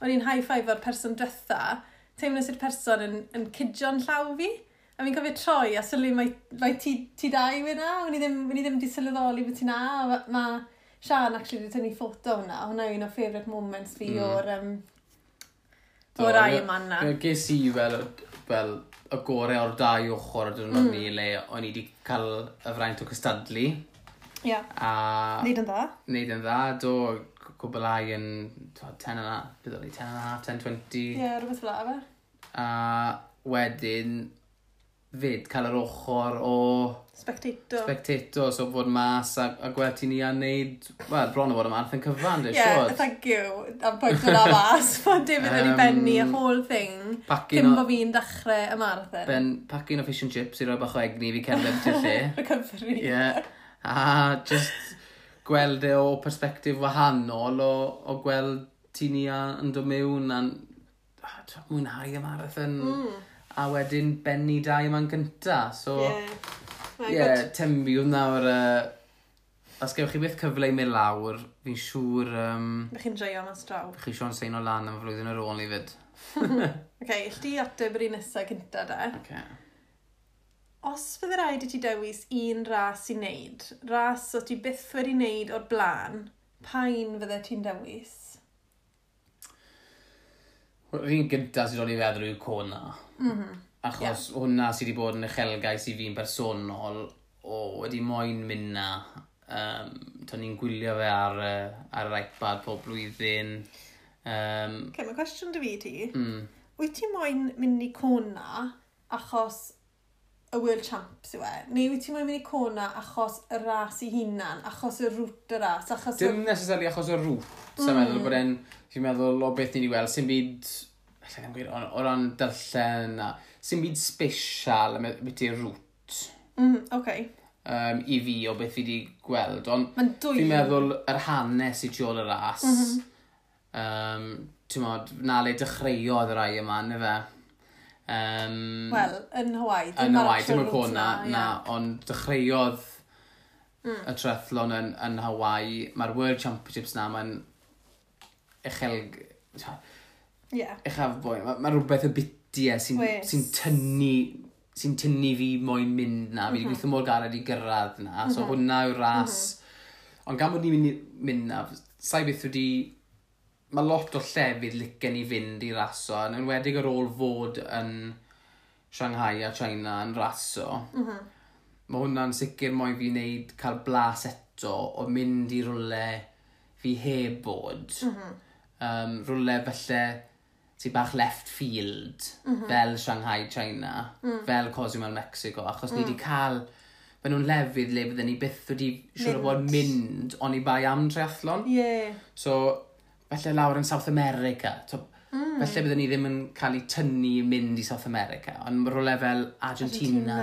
o'n i'n high five o'r person dwetha, teimlais i'r person yn cydio'n llaw fi. A fi'n cofio troi a sylwi mae ti dau yna, o'n i ddim wedi sylweddoli bod ti na. A ma Sian actually wedi tynnu ffoto hwnna, hwnna yw un o favourite moments fi o'r Ironman na. Ges i fel y gorau o'r dau ochr o diwrnod ni le o'n i wedi cael y fraint o cystadlu. Ie. A Neud yn dda. Neud yn dda, do, cwblhau yn 10 and a, beth oedd hi, 10 and a half, 10:20. Ie, rhywbeth fel 'na, fe. A wedyn, fyd, cael yr ochr o Spectator. Spectator, so fod mas a gweld ti ni a neud, wel, bron o fod y marathon cyfan, dwi'n Ie, siŵr. Thank you am pwynt hwnna mas. Mae David wedi bennu y whole thing cyn bo fi'n dechrau y marathon. Ben, packing o fish and chips i roi bach o egni i fi cerdded i'r lle. Recovery. Ie. Yeah. A just gweld e o perspectif wahanol o gweld ti ni yn dod mewn a'n mwynhau y marathon. A wedyn bennu dau yma'n gynta. So, Ie. ie, yeah, Tenby oedd nawr... Os gewch chi byth cyfle i mynd lawr, fi'n siŵr... Bych chi'n joio mas draw. Chi Sean Sein o lan am y flwyddyn ar ôl ni fyd. Oce, okay, ti ateb yr un nesaf cynta de. Okay. Os fydde rhaid i ti dewis un ras i wneud, ras o ti byth wedi wneud o'r blaen, pa un fydde ti'n dewis? Yr un gyntaf sydd dod i feddwl yw Kona. Achos hwnna sydd wedi bod yn uchelgais i fi'n bersonol, o wedi moyn mynd na. To'n ni'n gwylio fe ar yr iPad pob blwyddyn. Okay, mae cwestiwn dy fi ti. Wyt ti moyn mynd i Kona achos y World Champs yw e? Neu wyt ti moyn mynd i Kona achos y ras i hunan, achos y route y ras, achos... Dim necessarily achos y route. Sa'n meddwl bod e'n... Fi'n meddwl o beth ni wedi gweld, sy'n byd... Alla i ddim gweud, o ran darllen a... Sy'n byd special am beth yw'r route. Okay. I fi o beth fi wedi gweld, ond Mae'n dwy. fi'n meddwl yr hanes i tu ôl y ras. Ti'n modd, na le dechreuodd y rai yma, na fe. Wel, yn Hawaii. Yn Hawaii, dim yn Kona, na, ond dechreuodd y triathlon yn Hawaii. Mae'r World Championships na, mae'n uchel... Yeah. Uchafbwynt. Mae rhywbeth y bitiau sy'n tynnu fi moyn mynd na. Fi wedi gweithio mor galed i gyrraedd na. So hwnna yw'r ras. Ond gan bod ni'n mynd na, sa'i beth wedi... Mae lot o llefydd licen i fynd i raso, yn enwedig ar ôl fod yn Shanghai a China yn raso. Mae hwnna'n sicr moyn fi wneud cael blas eto o mynd i rwle fi heb bod. Rwle felly sy'n bach left field, fel Shanghai, China, fel Cozumel, Mexico, achos ni wedi cael... Fe nhw'n lefydd le fydden ni byth wedi siŵr o fod mynd oni bai am triathlon. Yeah. So, falle lawr yn South America. So, Falle bydden ni ddim yn cael ei tynnu i mynd i South America, ond mae rhywle fel Argentina.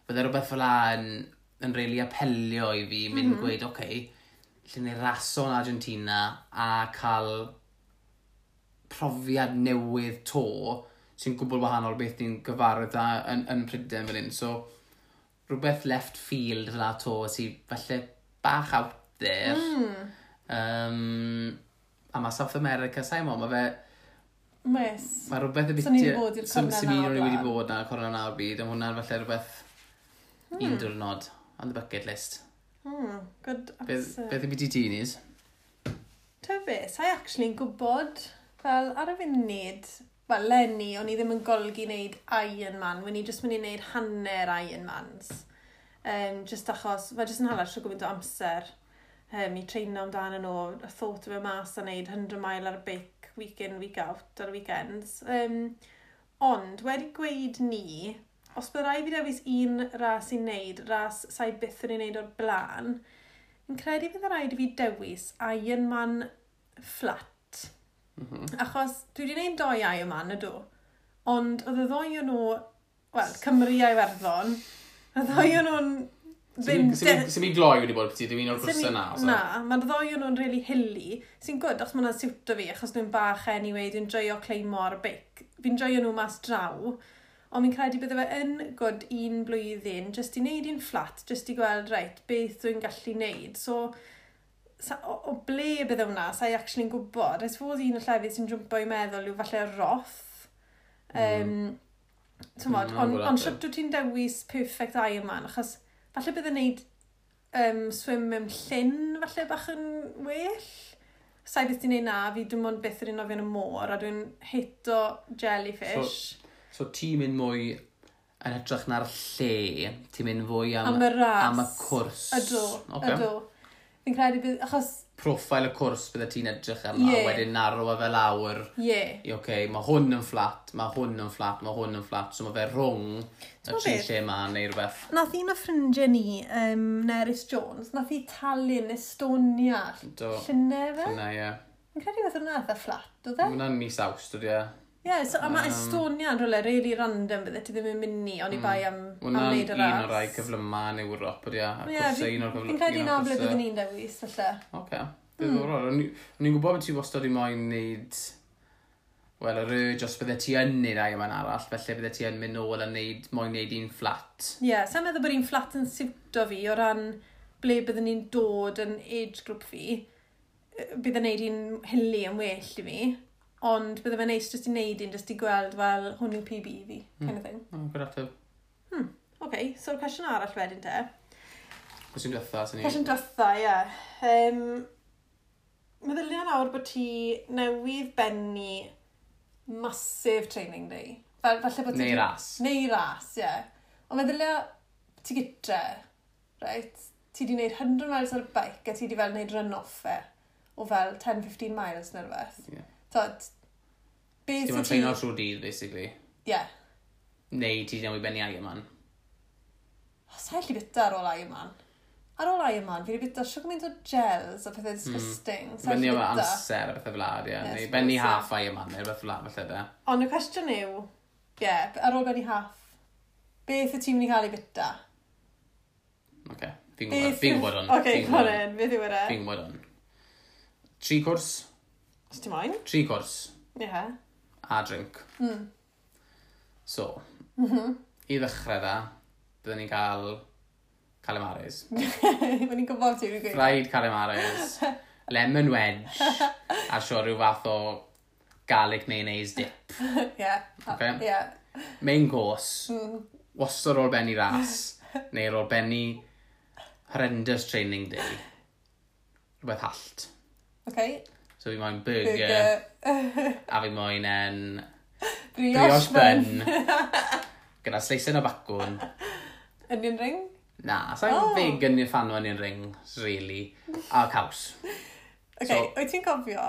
Bydde rhywbeth fel la yn really apelio i fi, mynd gweud, oce, okay, lle ni raso yn Argentina a cael profiad newydd to sy'n gwbl wahanol beth ni'n gyfarwydd â yn Prydain fel hyn. So, rhywbeth left field fel la to sy'n falle bach out there. A mae South America, sa'i mo, mae fe... Mes. Mae rhywbeth y So ni wedi bod i'r cornel na o'r blaen. Wedi bod na, cornel na o'r byd, ond hwnna'n falle rhywbeth un diwrnod on the bucket list. Good answer. Beth yw beth i ti, Nis? Ta be, sa'i actually'n gwybod, fel ar y funud, wel, leni, o'n i ddim yn golygu wneud Ironman, o'n i jyst mynd i wneud hanner Ironmans. Just achos, fe jyst yn hala trwy gymaint o amser i treino amdano nhw, a thought o fe mas a wneud 100 mile ar y beic, week in, week out, ar y weekends. Ond, wedi gweud ni, os bydd rhaid fi dewis un ras i wneud, ras sa'i byth yn ei wneud o'r blaen, fi'n credu bydd rhaid i fi dewis Ironman flat. Achos dwi wedi gwneud 2 Ironman, ydw. Ond oedd y ddoi o'n nhw, wel, Cymru a Iwerddon, y ddoi o'n nhw'n ddim... Sy'n mi gloi wedi bod ti, ddim un o'r cwrsau na. Na, mae'r ddoi o'n nhw'n really hilly, sy'n good, achos mae'n siwto fi, achos dwi'n bach anyway, dwi'n joio cleimo ar y beic. Fi'n joio nhw mas draw, ond fi'n credu bydde fe yn good un blwyddyn, jyst i wneud un flat, jyst i gweld, reit, beth dwi'n gallu wneud. So, o ble bydde hwnna, sa'i actually'n gwybod. I suppose un o'r llefydd sy'n jwmpo i meddwl yw falle Roth. T'mod, ond shwt wyt ti'n dewis perfect Ironman, achos falle bydde wneud swim mewn llyn, falle bach yn well. Sa'i beth ti'n neud na, fi dim ond byth yn nofio yn y môr, a dwi'n hito jellyfish. So ti'n mynd mwy yn hytrach na'r lle, ti'n mynd fwy am y ras. Am y cwrs. Ydw, ydw. Fi'n credu bydd, achos... Profile y cwrs bydde ti'n edrych arno, a wedyn narrow fe lawr. Yeah. I, okay, mae hwn yn flat, mae hwn yn flat, mae hwn yn flat, so mae fe rhwng y tri lle ma neu rhywbeth. Nath un o ffrindiau ni, Nerys Jones, nath hi Tallinn, Estonia. Llynedd fe? Llynedd, ie. Fi'n credu beth hwnna eitha flat, oedd e? Hwnna'n mis Awst, oedd e. Ie, so, a mae Estonia yn rhywle really random bydde ti ddim yn mynd ni, ond i bai am wneud y ras. Hwnna'n un o'r rai cyflyma yn Ewrop, ydy e? Fi'n credu na ble byddwn ni'n dewis, falle. Oce, diddorol. O'n i'n gwybod bod ti wastad i moyn wneud, wel, yr urge os bydde ti yn neud Ironman arall, felly bydde ti yn mynd nôl a neud, moyn neud un flat. Ie, yeah, sa'n meddwl bod un flat yn siwto fi o ran ble byddwn ni'n dod yn age group fi, bydd yn neud un hilly yn well i fi. Ond bydde fe'n neis jyst i wneud un, jyst i gweld, wel, hwn yw PB fi, kind of thing. Oh, good ateb. OK, so'r cwestiwn arall wedyn te. Cwestiwn diwetha, sy'n ni. Cwestiwn diwetha, ie. Meddylia nawr bod ti newydd bennu massive training day. Fel, falle bod ti... Neu ras. Neu ras, ie. Ond meddylia ti gytre, right? Ti di wneud 100 miles ar y bike a ti di fel wneud run-off fe o fel 10-15 miles neu rhywbeth. Yeah. Tod, beth Ti'n wyt ti... treino trwy dydd, basically. Ie. Yeah. Neu ti newid benni Ironman. Oh, sa'i allu byta ar ôl Ironman. Ar ôl Ironman, fi wedi byta siwr gymaint o gels a pethau disgusting. Mm. Benni am amser a pethau fel la, ie. Neu benni half Ironman neu rhywbeth fel la, falle de. Ond y cwestiwn yw, ie, yeah, ar ôl benni half, beth wyt ti'n mynd i cael ei byta? Oce, fi'n gwybod hwn. Oce, go on in, beth yw e? Fi'n gwybod hwn. 3 cwrs. Os ti moyn? 3 cwrs. Ie. A drink. So, i ddechrau da, byddwn ni'n cael calamaris. Mae'n i'n gwybod ti'n gweud. Fried calamaris, lemon wedge, a sio rhyw fath o garlic mayonnaise dip. Yeah. Okay. Yeah. Main course, wastad ar ôl benni ras, neu ar ôl benni horrendous training day. Rhywbeth hallt. Okay. So fi moyn burger, Burger. a fi moyn en Brioche brioche bun. bun. Gyda sleisen o bacwn. Onion ring. Na, sa'n Oh. oh. big yn fan o onion rings, really. A caws. Okay, So- wyt ti'n cofio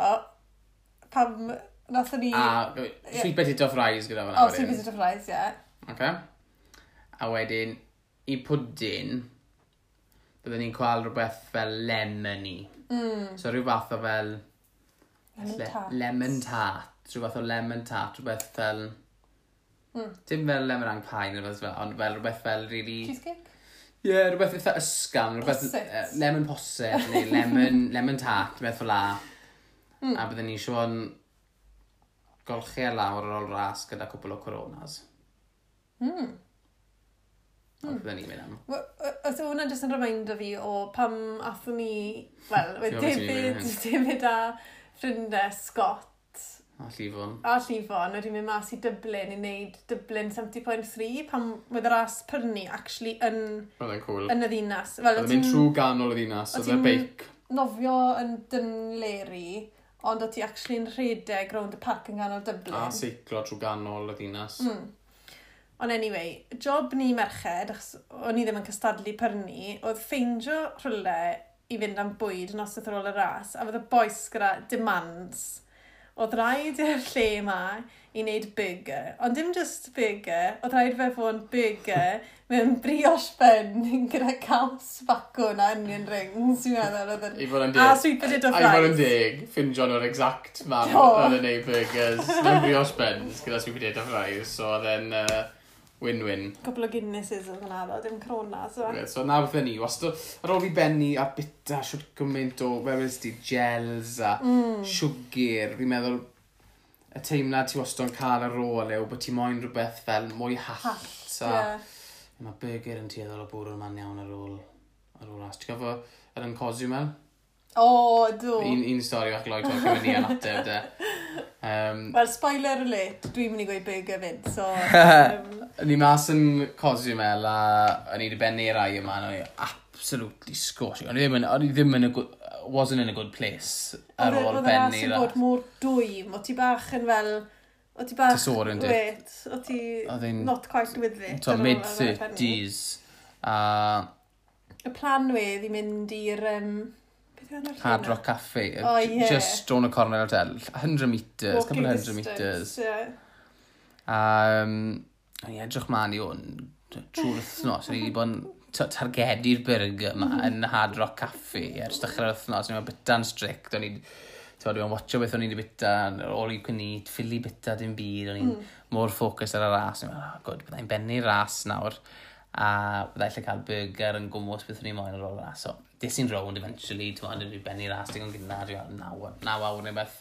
pam nathon ni... A sweet potato fries gyda fan'na Oh, wedyn. sweet potato fries, yeah. Okay. A wedyn, i pwdin, byddwn ni'n cael rhywbeth fel lemony. So rhyw fath o fel... Lemon tart. Lemon tart. Rhyw fath o lemon tart, rhywbeth fel... Dim fel lemon ang pie neu rhywbeth fel, ond fel rhywbeth fel really... Cheesecake? Ie, yeah, rhywbeth eitha ysgafn, rhywbeth Posset. lemon posset neu lemon, lemon tart, rhywbeth fel la. A byddwn ni eisiau golchi e lawr ar ôl ras gyda cwpl o coronas. Mm. Byddwn ni'n mynd am. Os yw hwnna jyst yn reminder fi o pam athon ni, wel, Ti'n gwbod beth ti'n mynd David, David a ffrindiau Scott A llifon. a Llifon wedi mynd mas i Dublin i wneud Dublin 70.3 pam oedd y ras prynu actually yn, Roedd e'n cool. yn y ddinas. Fel, Oedd e'n mynd trwy ganol y ddinas, o oedd e'n ti'n- beic. nofio yn Dunleary, ond o ti actually'n rhedeg rownd y parc yn ganol Dublin. A seiclo trwy ganol y ddinas. Ond anyway, job ni merched, achos o'n i ddim yn cystadlu pyrnu, oedd ffeindio rhywle i fynd am bwyd yn noswaith ar ôl y ras, a fydd y bois gyda demands. Oedd rhaid i'r lle yma i wneud burger, ond dim just burger, oedd rhaid fe fod yn burger mewn brioche bun gyda caws bacwn a onion rings, dwi'n meddwl. Oedd yn... I fod yn deg. A sweet potato A i fod yn fries. deg, ffindio nhw'r exact man Do. oedd yn neud burgers. Mewn brioche buns gyda sweet potato fries, so oedd e'n win-win. Cwpl o Guinnesses oedd yna, ddo, dim Corona, so. Okay, so na beth ni, wastad, ar ôl fi benni a bita siwt gymaint o, fe wedys di, gels a siwgr, fi'n meddwl, y teimlad ti wastad yn cael ar ôl yw bod ti moyn rhywbeth fel mwy hallt. Hallt, a ie. Mae burger yn tueddol o bwrw'r man iawn ar ôl ras. Ti'n gofio yr yn Cozumel? O, do. Un stori fach gloi to'n cymryd ni yn ateb de. Wel, spoiler alert, dwi'n mynd i gweud burger fyd, so... Ni mas yn Cozumel a o'n i wedi bennu rai yma a o'n i absolutely scorching. O'n i ddim yn, o'n i ddim yn a good, wasn't in a good place ar ôl Oedd y ras bennu. yn bod mor dwym, o ti bach yn fel... O ti bach... Disoriented. Wait, o ti Oedd hi'n- not quite with it. To ar ôl- ar ôl bennu. mid-30s. A Y plan wedd i mynd i'r... Beth yw enw'r lle Hard 'na? Rock Cafe. O, ie. Just down y corner hotel. 100 metres, couple Walking of 100 metres. distance, ie. A o'n i edrych mlaen i hwn trwy'r wythnos. O'n i wedi bod yn targedu'r burger yma yn Hard Rock Cafe ers dechrau'r wythnos. O'n i'n bita'n strict. O'n i'n Ti'n dwi'n watcho beth o'n i wedi bita, all you can eat, ffili bita dim byd, o'n i'n mor ffocus ar y ras. O'n i'n meddwl, oh, good, byddai'n bennu'r ras nawr, a byddai lle cael burger yn gwmws beth o'n i'n moyn ar ôl y ras. So, des i'n rownd eventually, ti'n meddwl, dwi'n bennu'r ras digon gynnar, dwi'n meddwl, 9 awr neu beth,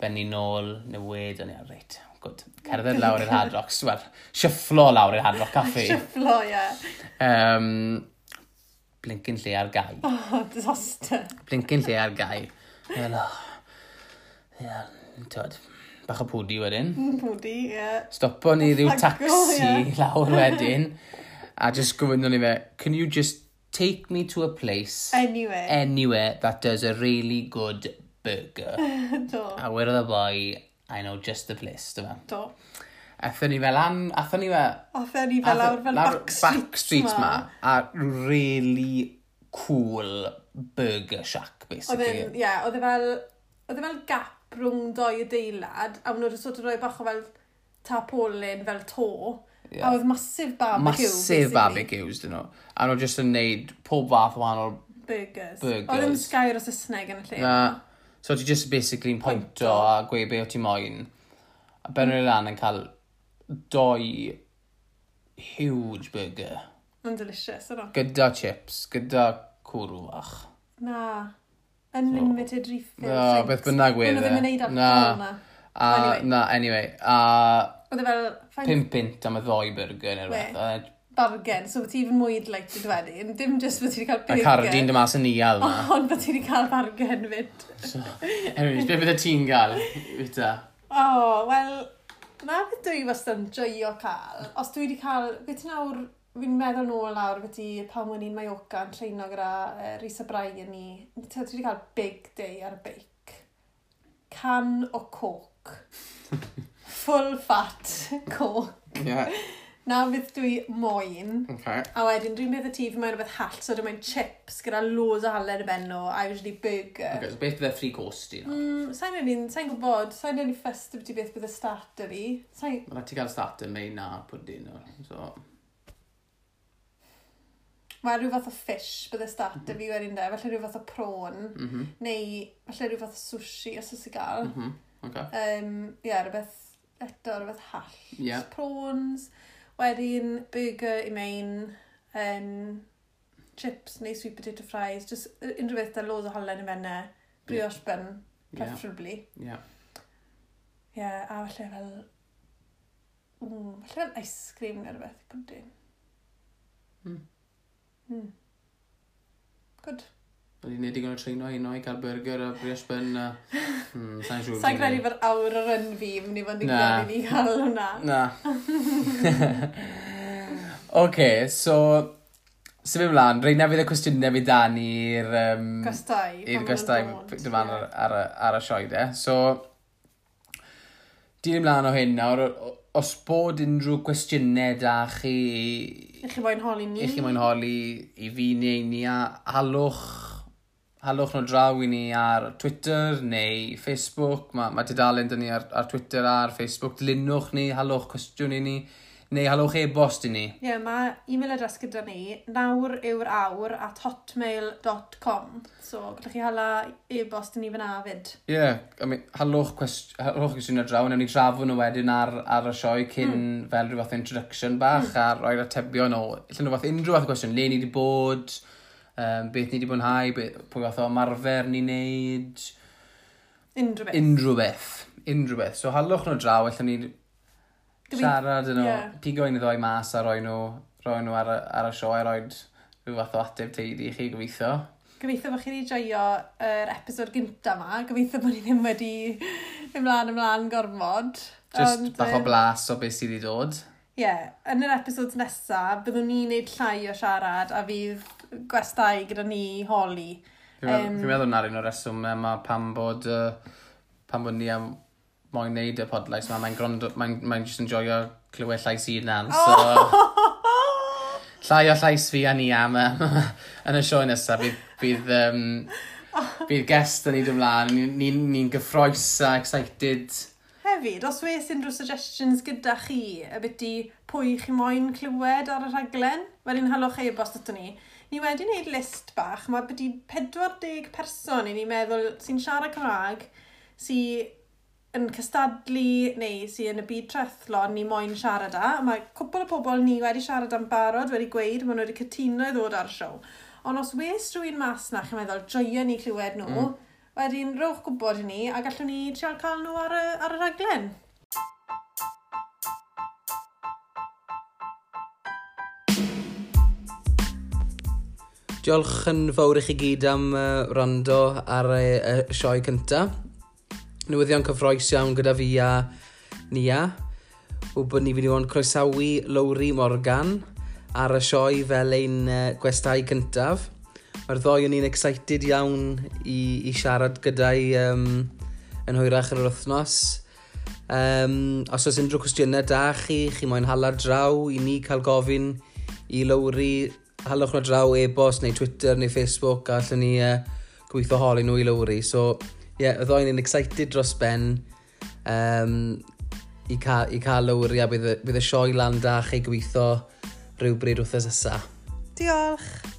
bennu nôl, newid, o'n i'n reit, good. Cerdded lawr i'r Hard Rock, wel, shufflo lawr i'r Hard Rock Cafe. Shufflo, ie. Blincyn lle ar gau. Oh, disaster. Blincyn lle ar gau. Wel, oh, ie, twod, bach o pwdi wedyn. Pwdi, ie. Stopo ni ryw Thank God, taxi ie. lawr wedyn. A just gofynnon ni fe, can you just take me to a place Anyway. anywhere that does a really good burger? Do. A wedodd y boi, I know just the place, dyma. Do. Aethon ni fel an, aethon ni fel... Aethon ni fel lawr fel lawr back streets back streets ma. A really cool burger shack, Oedd basically. e'n, ie, oedd e fel, oedd e fel gap rhwng doi adeilad, a maen nhw wedi sort of rhoi bach o fel tarpaulin, fel to. Ie. A oedd massive barbecue, Massive basically. barbecues, dyn nhw. A nhw just yn neud pob fath o wahanol Burgers. Burgers. Oedd ddim gair o Saesneg yn y lle. Na. So ti just basically yn pointo a gweud be o ti moyn. A ben nhw'n lan yn cael doi huge burger. Mae'n delicious, yno. Gyda chips, gyda cwrw fach. Na. Unlimited refill. No, drinks. beth bynnag wedd Maen nhw ddim yn e. neud Na. alcohol na. A, Anyway. na, anyway. A Oedd e fel... 5 punt am y ddoi burger neu rhywbeth. Bargain, so ti even mwy delighted wedyn. Dim just bod ti wedi cael burger. A Cardi'n dy mas yn nial ma. Ond bod ti wedi cael bargain fyd. So, anyways, beth bydde ti'n gael, Vita? O, oh, wel, na beth dwi wastad yn joio cael. Os dwi wedi cael, beth ti nawr, fi'n meddwl nôl nawr beth i pan o'n i'n Mallorca yn treino gyda Rhys a Brian ni. Ti wedi cael big day ar y beic. Can o coke. Full fat coke. Yeah. Na beth dwi moyn. Okay. A wedyn dwi'n meddwl ti, fi moyn rhywbeth hallt, so dwi'n moyn chips gyda loads o halen y ben nhw, a usually burger. Okay, so beth bydde free course ti? Sa'n really, sa'n gwybod, sa'n really fussed beth beth bydde starter fi. Sa'n... Mae rhaid ti gael starter main a pudding. So... Mae rhyw fath o fish bydde starter fi wedyn de, falle rhyw fath o prawn, neu falle rhyw fath o sushi os oes i gael. Okay. Yeah, rhywbeth eto, rhywbeth hallt. Yeah. Prawns. Wedyn, burger i main, chips neu sweet potato fries, just unrhyw beth da loads o halen i menne, brioche bun, preferably. Yeah. Yeah, a falle fel, falle fel ice cream neu rhywbeth i pwdin. Good. Wedi gwneud digon o treino heno i cael burger a brioche bun a... Sa'n siŵr. Sa'n credu bod awr o ryn fi mynd i fod yn digon i ni cael hwnna. Na. Oce, so... Symud ymlaen, reina fydd y cwestiynau fi dan i'r... Gwestai. I'r gwestai dyma ar y sioe de. So, dilyn ymlaen o hyn nawr, os bod unrhyw gwestiynau da chi... I chi moyn holi ni. I chi moyn holi i fi neu ni a halwch nhw draw i ni ar Twitter neu Facebook. Mae tudalen dyn ni ar Twitter a ar Facebook. Dilynwch ni, halwch cwestiwn i ni, neu halwch e-bost i ni. Ie, yeah, mae e-mail address gyda ni, nawryw'rawr@hotmail.com. So, gallwch chi hala e-bost i ni fyna fyd. Ie, yeah, I mean, halwch cwestiwn ar draw, newn ni trafod nhw wedyn ar y sioe cyn fel rhyw fath o introduction bach a roi'r atebion o, allan nhw fath unrhyw fath o cwestiwn, le ni wedi bod, beth ni wedi mwynhau, pwy fath o ymarfer ni'n neud. Unrhyw beth. Unrhyw beth. So halwch nhw draw, allan ni siarad yn nhw, pigo un i ddoi mas a roi nhw ar y sioe, a roi rhyw fath o ateb teulu i chi, gobeithio. Gobeithio bod chi wedi joio yr episod gynta yma. Gobeithio bod ni ddim wedi ymlaen gormod. Just ond, bach o blas o beth sydd wedi dod. Ie, yeah, yn yr episod nesaf, byddwn ni'n neud llai o siarad a fydd gwestai gyda ni holi. Fi'n meddwl na'r un o'r reswm yma pam bod ni am moyn neud y podlais yma. Mae'n just yn joio clywed llais i hunan. So, llai o llais fi a ni am yn y sioe nesaf. Bydd guest yn ei ymlaen. Ni'n gyffroes a excited. Hefyd, os wes unrhyw suggestions gyda chi abyti pwy chi moyn clywed ar y rhaglen, wedyn halwch e-bost ato ni. Ni wedi wneud list bach, mae byti 40 person i ni'n meddwl sy'n siarad Cymraeg, sy'n yn cystadlu neu sy'n yn y byd triathlon ni moyn siarad â. Mae cwpl o pobl ni wedi siarad am barod, wedi gweud, maen nhw wedi cytuno i ddod ar y siow. Ond os wes rhywun mas na chi'n meddwl, joio ni clywed nhw, wedyn rhowch gwybod i ni a gallwn ni trial cael nhw ar y rhaglen. Diolch yn fawr i chi gyd am wrando ar y sioe cyntaf. Newyddion cyffrous iawn gyda fi a Nia. Ww bod ni wedi bod yn croesawu Lowri Morgan ar y sioe fel ein gwestai cyntaf. Mae'r ddoi o'n i'n excited iawn i siarad gyda'i yn hwyrach yn yr wythnos. Os oes unrhyw cwestiynau da chi, chi moyn hala draw i ni cael gofyn i Lowri, halwch nhw draw e-bost neu Twitter neu Facebook a allwn ni gweithio holi nhw i Lowri. So, ie, yeah, y ddoi ni'n excited dros ben i cael Lowri a bydd y sioe lan da chi gweithio rhywbryd wythnos nesa. Diolch!